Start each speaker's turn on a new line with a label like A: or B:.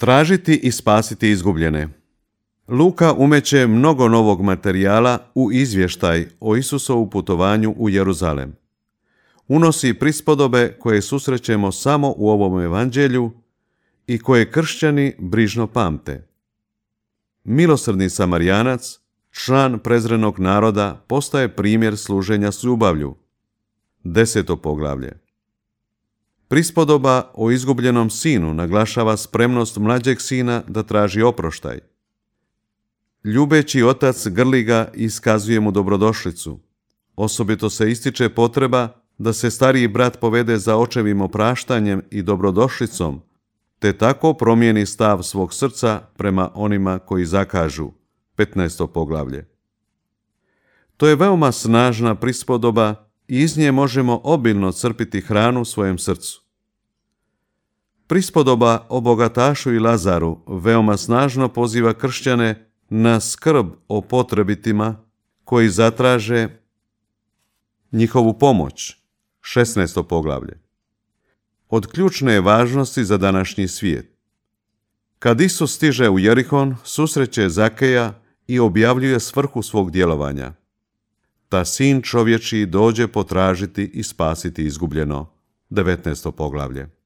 A: Tražiti i spasiti izgubljene. Luka umeće mnogo novog materijala u izvještaj o Isusovu putovanju u Jeruzalem. Unosi prispodobe koje susrećemo samo u ovom evanđelju i koje kršćani brižno pamte. Milosrdni Samarijanac, član prezrenog naroda, postaje primjer služenja s ljubavlju. 10. poglavlje. Prispodoba o izgubljenom sinu naglašava spremnost mlađeg sina da traži oproštaj. Ljubeći otac grli ga i iskazuje mu dobrodošlicu. Osobito se ističe potreba da se stariji brat povede za očevim opraštanjem i dobrodošlicom, te tako promijeni stav svog srca prema onima koji zakažu. 15. poglavlje. To je veoma snažna prispodoba i iz nje možemo obilno crpiti hranu svojem srcu. Prispodoba o bogatašu i Lazaru veoma snažno poziva kršćane na skrb o potrebitima koji zatraže njihovu pomoć. 16. poglavlje. Od ključne je važnosti za današnji svijet. Kad Isus stiže u Jerihon, susreće Zakeja i objavljuje svrhu svog djelovanja. Ta sin čovječiji dođe potražiti i spasiti izgubljeno. 19. poglavlje.